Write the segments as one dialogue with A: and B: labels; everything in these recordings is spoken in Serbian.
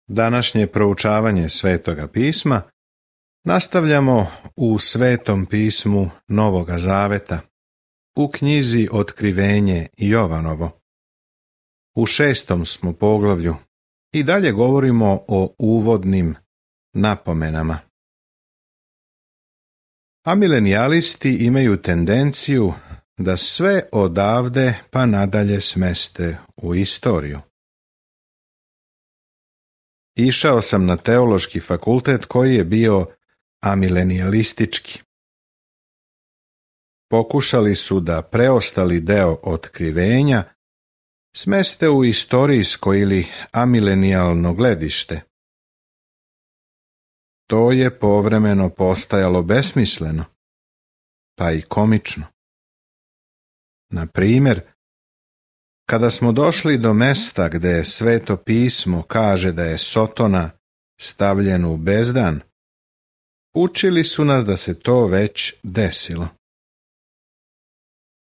A: Današnje proučavanje Svetoga pisma nastavljamo u Svetom pismu Novoga Zaveta, u knjizi Otkrivenje Jovanovo. U 6. smo poglavlju i dalje govorimo o uvodnim napomenama. Amilenijalisti imaju tendenciju da sve odavde pa nadalje smeste u istoriju. Išao sam na teološki fakultet koji je bio amilenijalistički. Pokušali su da preostali deo otkrivenja smeste u istorijsko ili amilenijalno gledište. To je povremeno postajalo besmisleno, pa i komično. Na primjer, kada smo došli do mesta gde Sveto pismo kaže da je Sotona stavljen u bezdan, učili su nas da se to već desilo.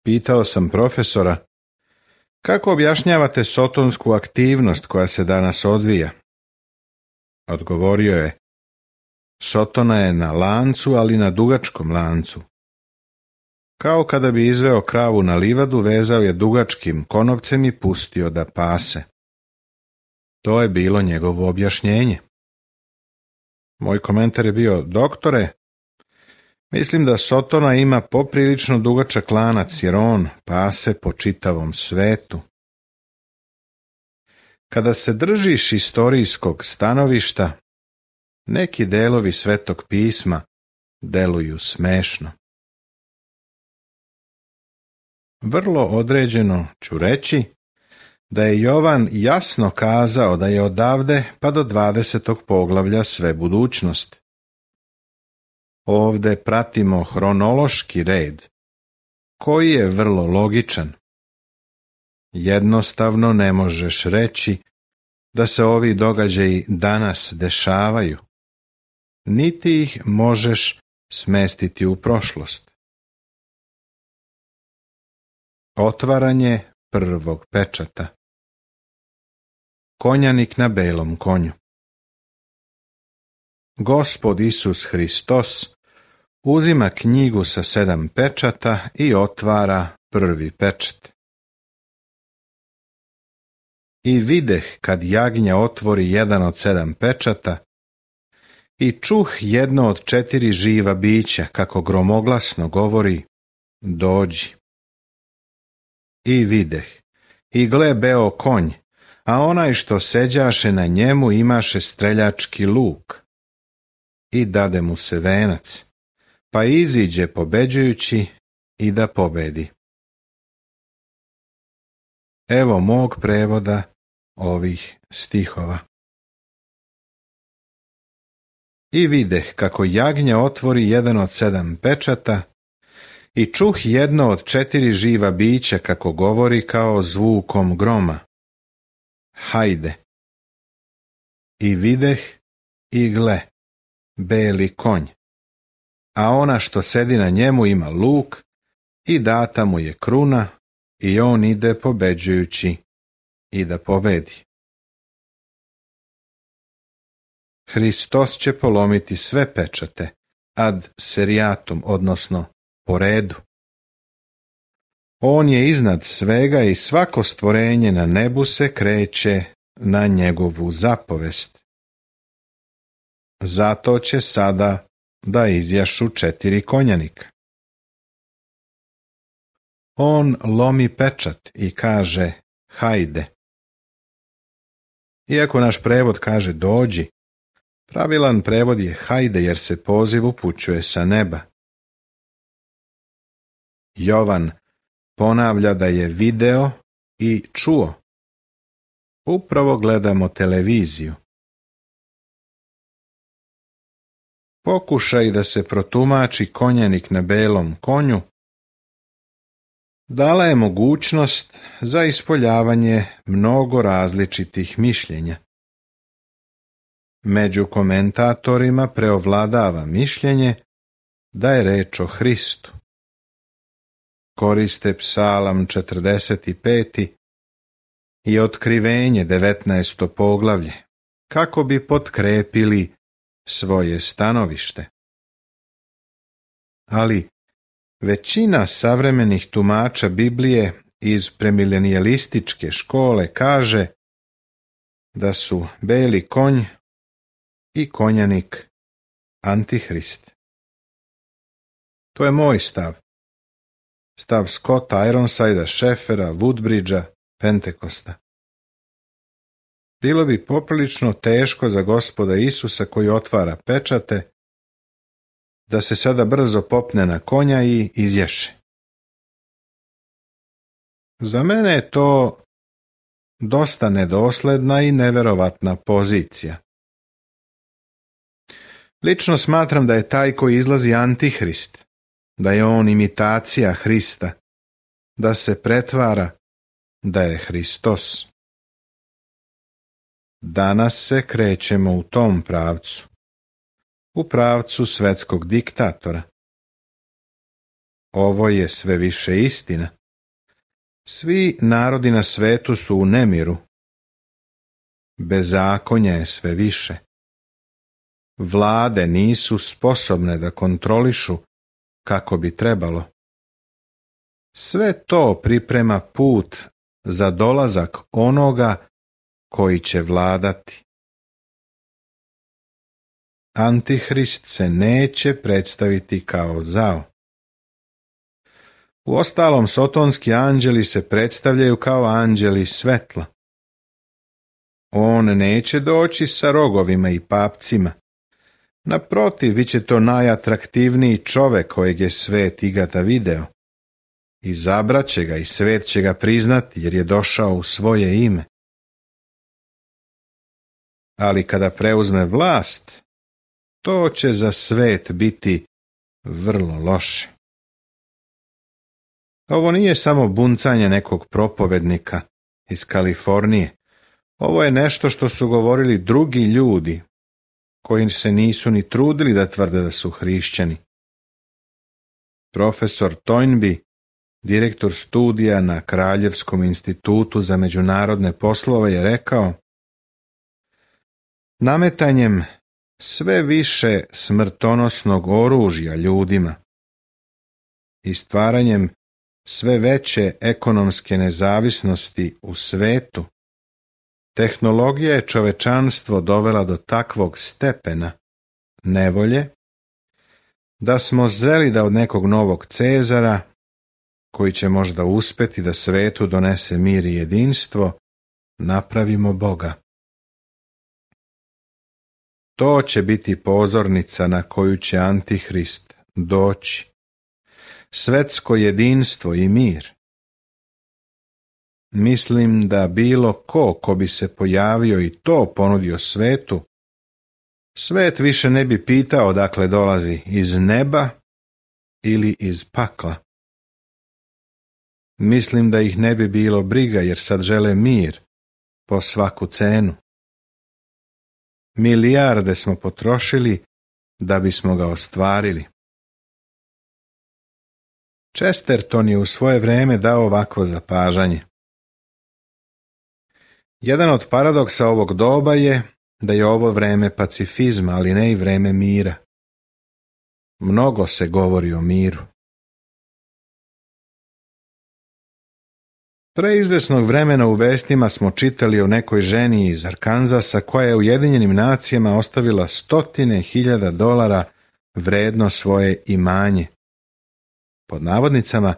A: Pitao sam profesora, kako objašnjavate sotonsku aktivnost koja se danas odvija? Odgovorio je, Sotona je na lancu, ali na dugačkom lancu. Kao kada bi izveo kravu na livadu, vezao je dugačkim konopcem i pustio da pase. To je bilo njegovo objašnjenje. Moj komentar je bio, doktore, mislim da Sotona ima poprilično dugačak lanac jer on pase po čitavom svetu. Kada se držiš istorijskog stanovišta, neki delovi Svetog pisma deluju smešno. Vrlo određeno ću reći da je Jovan jasno kazao da je odavde pa do 20. poglavlja sve budućnost. Ovde pratimo hronološki red, koji je vrlo logičan. Jednostavno ne možeš reći da se ovi događaji danas dešavaju, niti ih možeš smestiti u prošlost. Otvaranje prvog pečata. Konjanik na belom konju. Gospod Isus Hristos uzima knjigu sa 7 pečata i otvara prvi pečat. I videh kad jagnja otvori jedan od 7 pečata i čuh jedno od 4 živa bića kako gromoglasno govori, dođi. I videh, i gle beo konj, a onaj što seđaše na njemu imaše streljački luk. I dade mu se venac, pa iziđe pobeđujući i da pobedi. Evo mog prevoda ovih stihova. I videh kako jagnja otvori jedan od 7 pečata i čuh jedno od 4 živa bića kako govori kao zvukom groma. Hajde. I videh i gle, beli konj, a ona što sedi na njemu ima luk i data mu je kruna i on ide pobeđujući i da pobedi. Hristos će polomiti sve pečate ad seriatum, odnosno po redu. On je iznad svega i svako stvorenje na nebu se kreće na njegovu zapovest. Zato će sada da izjašu 4 konjanika. On lomi pečat i kaže, hajde. Iako naš prevod kaže dođi, pravilan prevod je hajde jer se poziv upućuje sa neba. Jovan ponavlja da je video i čuo. Upravo gledamo televiziju. Pokušaj da se protumači konjanik na belom konju dala je mogućnost za ispoljavanje mnogo različitih mišljenja. Među komentatorima preovladava mišljenje da je reč o Hristu. Koriste Psalam 45. i Otkrivenje 19. poglavlje, kako bi potkrepili svoje stanovište. Ali većina savremenih tumača Biblije iz premilenijalističke škole kaže da su beli konj i konjanik Antihrist. To je moj stav. Stav Scotta Ironsidea, Scheffera, Woodbridgea, Pentekosta. Bilo bi poprilično teško za Gospoda Isusa koji otvara pečate, da se sada brzo popne na konja i izješe. Za mene je to dosta nedosledna i neverovatna pozicija. Lično smatram da je taj koji izlazi Antihrist, da je on imitacija Hrista, da se pretvara da je Hristos. Danas se krećemo u tom pravcu, u pravcu svetskog diktatora. Ovo je sve više istina. Svi narodi na svetu su u nemiru. Bezakonja je sve više. Vlade nisu sposobne da kontrolišu kako bi trebalo. Sve to priprema put za dolazak onoga koji će vladati. Antihrist se neće predstaviti kao zao. Uostalom, sotonski anđeli se predstavljaju kao anđeli svetla. On neće doći sa rogovima i papcima. Naprotiv, bit će to najatraktivniji čovek kojeg je svet ikada video. Izabraće ga i svet će ga priznati jer je došao u svoje ime. Ali kada preuzme vlast, to će za svet biti vrlo loše. Ovo nije samo buncanje nekog propovednika iz Kalifornije. Ovo je nešto što su govorili drugi ljudi, koji se nisu ni trudili da tvrde da su hrišćani. Profesor Toynbee, direktor studija na Kraljevskom institutu za međunarodne poslove, je rekao: nametanjem sve više smrtonosnog oružja ljudima i stvaranjem sve veće ekonomske nezavisnosti u svetu, tehnologija je čovečanstvo dovela do takvog stepena nevolje da smo zreli da od nekog novog Cezara, koji će možda uspjeti da svetu donese mir i jedinstvo, napravimo Boga. To će biti pozornica na koju će Antihrist doći. Svetsko jedinstvo i mir. Mislim da bilo ko bi se pojavio i to ponudio svetu, svet više ne bi pitao odakle dolazi, iz neba ili iz pakla. Mislim da ih ne bi bilo briga jer sad žele mir po svaku cenu. Milijarde smo potrošili da bismo ga ostvarili. Chesterton je u svoje vrijeme dao ovakvo zapažanje. Jedan od paradoksa ovog doba je da je ovo vrijeme pacifizma, ali ne i vrijeme mira. Mnogo se govori o miru. Preizvesnog vremena u vestima smo čitali o nekoj ženi iz Arkanzasa koja je Ujedinjenim nacijama ostavila $100,000 vredno svoje imanje. Pod navodnicama,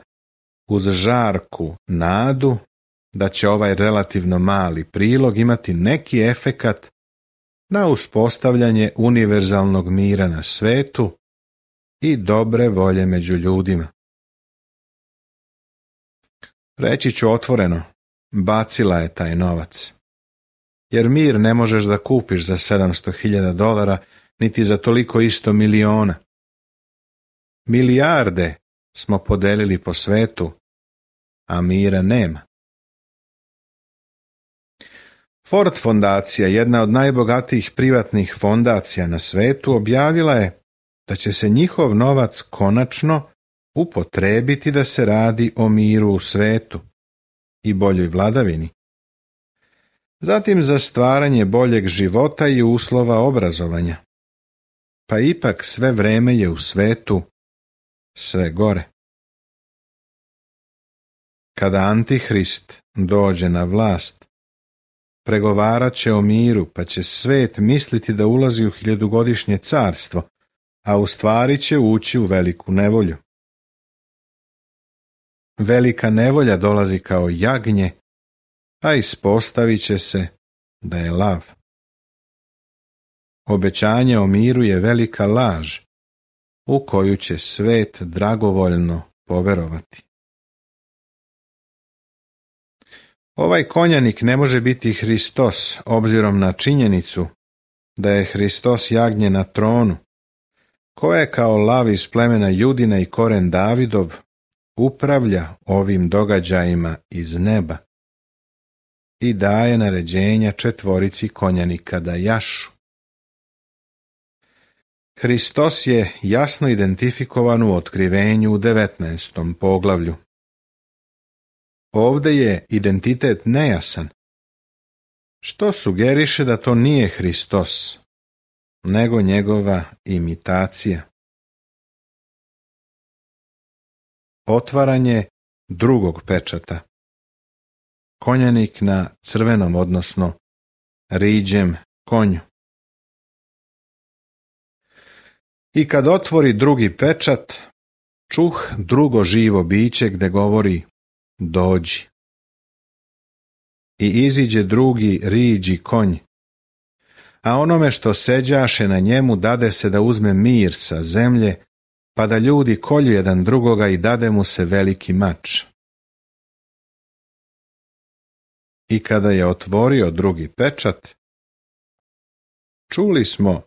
A: uz žarku nadu da će ovaj relativno mali prilog imati neki efekat na uspostavljanje univerzalnog mira na svetu i dobre volje među ljudima. Reći ću otvoreno, bacila je taj novac. Jer mir ne možeš da kupiš za $700,000, niti za toliko isto miliona. Milijarde smo podelili po svetu, a mira nema. Ford fondacija, jedna od najbogatijih privatnih fondacija na svetu, objavila je da će se njihov novac konačno upotrijebiti da se radi o miru u svetu i boljoj vladavini. zatim za stvaranje boljeg života i uslova obrazovanja. Pa ipak sve vreme je u svetu sve gore. Kada Antihrist dođe na vlast, pregovarat će o miru, pa će svet misliti da ulazi u 1000-godišnje carstvo, a u stvari će ući u veliku nevolju. Velika nevolja dolazi kao jagnje, a ispostavit će se da je lav. Obećanje o miru je velika laž, u koju će svet dragovoljno poverovati. Ovaj konjanik ne može biti Hristos, obzirom na činjenicu da je Hristos jagnje na tronu, koje kao lav iz plemena Judina i koren Davidov upravlja ovim događajima iz neba i daje naređenja 4 konjanika da jašu. Hristos je jasno identifikovan u otkrivenju u 19. poglavlju. Ovdje je identitet nejasan, što sugeriše da to nije Hristos, nego njegova imitacija. Otvaranje drugog pečata. Konjanik na crvenom, odnosno riđem konju. I kad otvori drugi pečat, čuh drugo živo biće gde govori dođi. I iziđe drugi riđi konj, a onome što seđaše na njemu dade se da uzme mir sa zemlje, pa da ljudi kolju jedan drugoga i dade mu se veliki mač. I kada je otvorio drugi pečat, čuli smo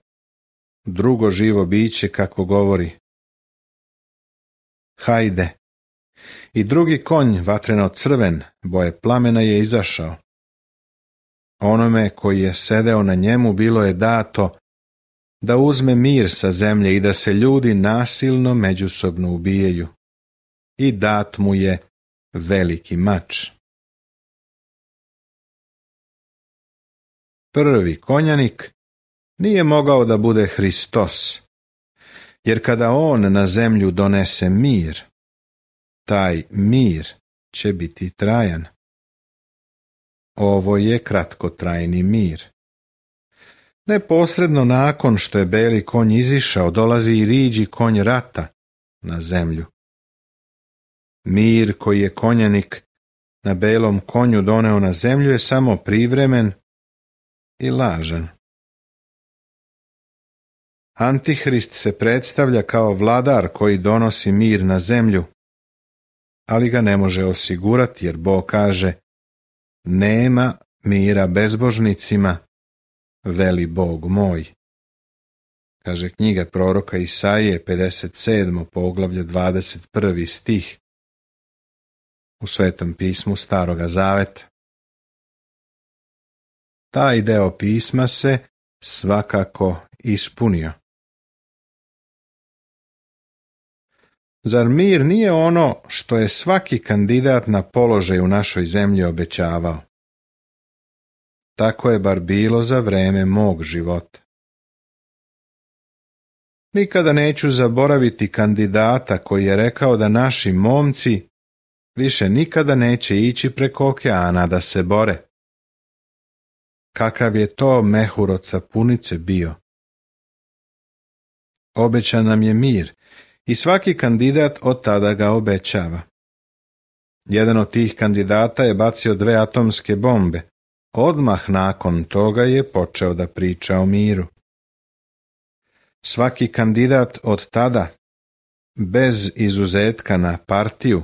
A: drugo živo biće kako govori hajde. I drugi konj, vatreno crven, boje plamena, je izašao. Onome koji je sedeo na njemu bilo je dato da uzme mir sa zemlje i da se ljudi nasilno međusobno ubijaju. I dat mu je veliki mač. Prvi konjanik nije mogao da bude Hristos, jer kada on na zemlju donese mir, taj mir će biti trajan. Ovo je kratkotrajni mir. Neposredno nakon što je beli konj izišao, dolazi i riđi konj rata na zemlju. Mir koji je konjanik na belom konju doneo na zemlju je samo privremen i lažan. Antihrist se predstavlja kao vladar koji donosi mir na zemlju, ali ga ne može osigurati jer Bog kaže: nema mira bezbožnicima, veli Bog moj. Kaže knjiga proroka Isaije, 57. poglavlje, 21. stih u Svetom pismu Staroga Zaveta. Taj deo pisma se svakako ispunio. Zar mir nije ono što je svaki kandidat na položaj u našoj zemlji obećavao? Tako je bar bilo za vreme mog života. Nikada neću zaboraviti kandidata koji je rekao da naši momci više nikada neće ići preko okeana da se bore. Kakav je to mehur od sapunice bio? Obećan nam je mir i svaki kandidat od tada ga obećava. Jedan od tih kandidata je bacio 2 atomske bombe. Odmah nakon toga je počeo da priča o miru. Svaki kandidat od tada, bez izuzetka na partiju,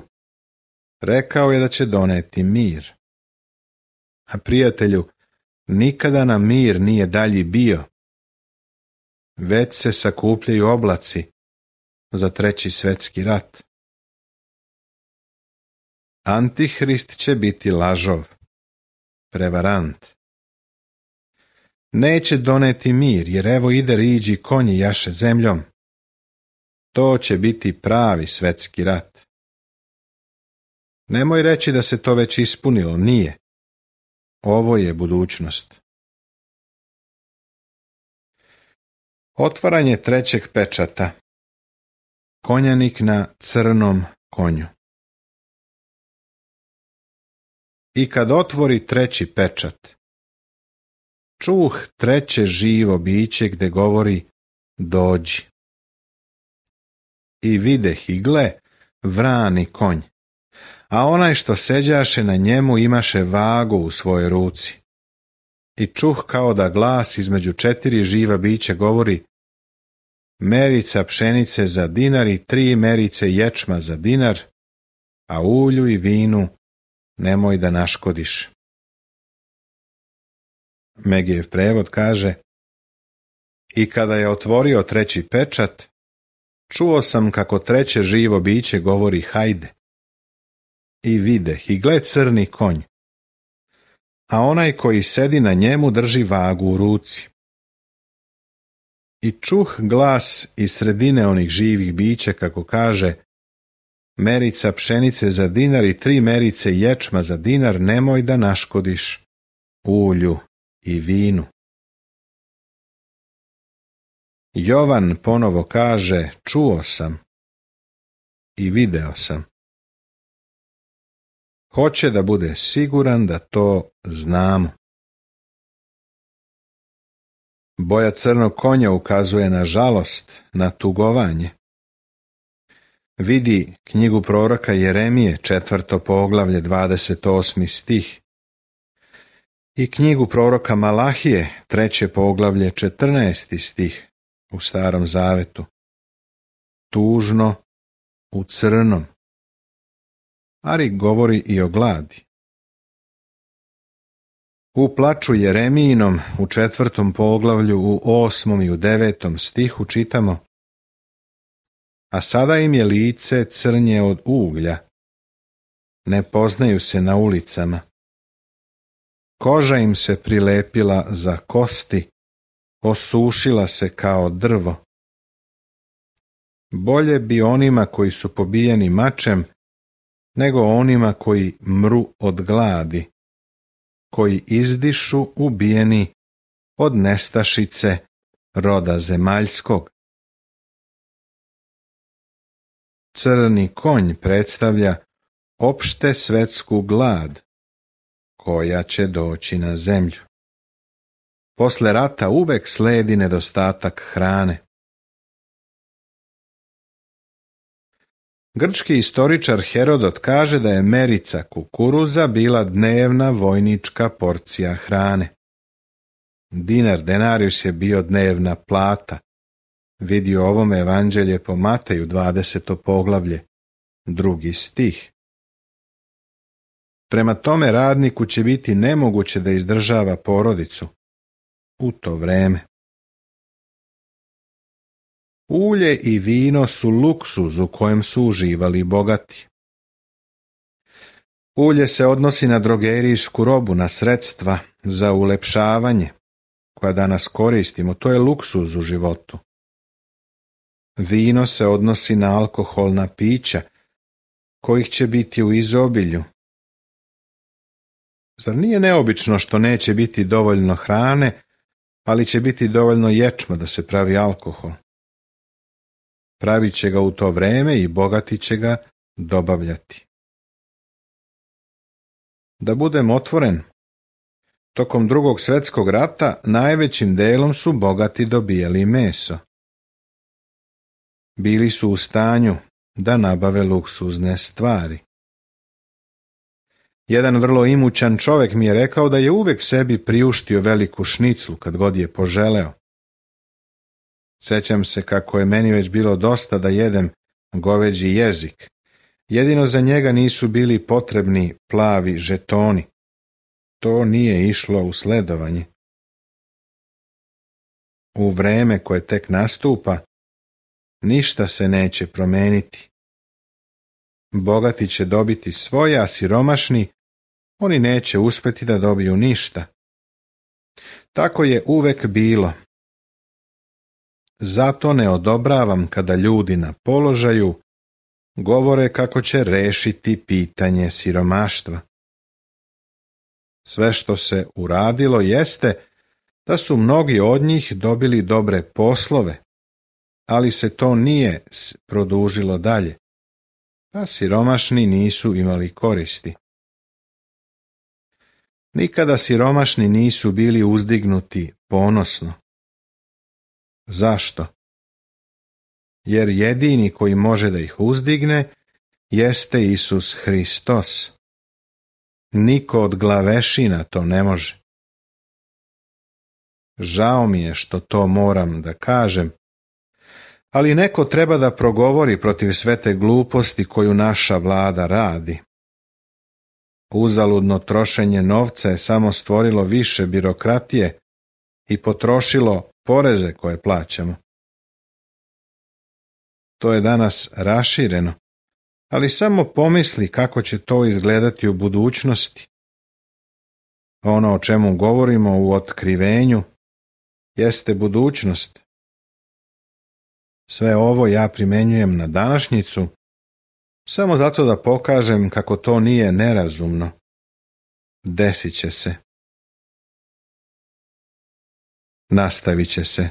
A: rekao je da će doneti mir. A prijatelju, nikada nam mir nije dalji bio. Već se sakupljaju oblaci za 3. svjetski rat. Antihrist će biti lažov, prevarant. Neće doneti mir, jer evo ide riđi konji jaše zemljom. To će biti pravi svjetski rat. Nemoj reći da se to već ispunilo, nije. Ovo je budućnost. Otvaranje trećeg pečata. Konjanik na crnom konju. I kad otvori treći pečat, čuh treće živo biće gde govori dođi. I videh i gle vrani konj, a onaj što seđaše na njemu imaše vagu u svojoj ruci. I čuh kao da glas između 4 živa bića govori: merica pšenice za dinar i 3 merice ječma za dinar, a ulju i vinu nemoj da naškodiš. Megijev prevod kaže: i kada je otvorio treći pečat, čuo sam kako treće živo biće govori hajde. I videh i gle crni konj, a onaj koji sedi na njemu drži vagu u ruci. I čuh glas iz sredine onih živih bića kako kaže: merica pšenice za dinar i 3 merice ječma za dinar nemoj da naškodiš ulju i vinu. Jovan ponovo kaže: čuo sam i video sam. Hoće da bude siguran da to znamo. Boja crnog konja ukazuje na žalost, na tugovanje. Vidi knjigu proroka Jeremije, 4. poglavlje, 28. stih. I knjigu proroka Malahije, 3. poglavlje, 14. stih u Starom zavetu. Tužno, u crnom. Ari govori i o gladi. U plaču Jeremijinom u 4. poglavlju u 8. i u 9. stihu čitamo: a sada im je lice crnje od uglja, ne poznaju se na ulicama. Koža im se prilepila za kosti, osušila se kao drvo. Bolje bi onima koji su pobijeni mačem, nego onima koji mru od gladi, koji izdišu ubijeni od nestašice roda zemaljskog. Crni konj predstavlja opšte svetsku glad koja će doći na zemlju. Posle rata uvek sledi nedostatak hrane. Grčki istoričar Herodot kaže da je merica kukuruza bila dnevna vojnička porcija hrane. Dinar denarius je bio dnevna plata. Vidi o ovome evanđelje po Mateju, 20. poglavlje, 2. stih. Prema tome radniku će biti nemoguće da izdržava porodicu u to vreme. Ulje i vino su luksuz u kojem su uživali bogati. Ulje se odnosi na drogerijsku robu, na sredstva za ulepšavanje, koja danas koristimo, to je luksuz u životu. Vino se odnosi na alkoholna pića, kojih će biti u izobilju. Zar nije neobično što neće biti dovoljno hrane, ali će biti dovoljno ječma da se pravi alkohol? Pravit će ga u to vreme i bogati će ga dobavljati. Da budem otvoren, tokom Drugog svjetskog rata najvećim delom su bogati dobijali meso. Bili su u stanju da nabave luksuzne stvari. Jedan vrlo imućan čovjek mi je rekao da je uvek sebi priuštio veliku šniclu kad god je poželeo. Sećam se kako je meni već bilo dosta da jedem goveđi jezik. Jedino za njega nisu bili potrebni plavi žetoni. To nije išlo u sledovanje. U vreme koje tek nastupa, ništa se neće promeniti. Bogati će dobiti svoje, a siromašni, oni neće uspjeti da dobiju ništa. Tako je uvek bilo. Zato ne odobravam kada ljudi na položaju govore kako će rešiti pitanje siromaštva. Sve što se uradilo jeste da su mnogi od njih dobili dobre poslove, ali se to nije produžilo dalje, pa siromašni nisu imali koristi. Nikada siromašni nisu bili uzdignuti ponosno. Zašto? Jer jedini koji može da ih uzdigne jeste Isus Hristos. Niko od glavešina to ne može. Žao mi je što to moram da kažem, ali neko treba da progovori protiv sve te gluposti koju naša vlada radi. Uzaludno trošenje novca je samo stvorilo više birokratije i potrošilo poreze koje plaćamo. To je danas rašireno, ali samo pomisli kako će to izgledati u budućnosti. Ono o čemu govorimo u otkrivenju jeste budućnost. Sve ovo ja primenjujem na današnjicu, samo zato da pokažem kako to nije nerazumno. Desit će se. Nastavit će se.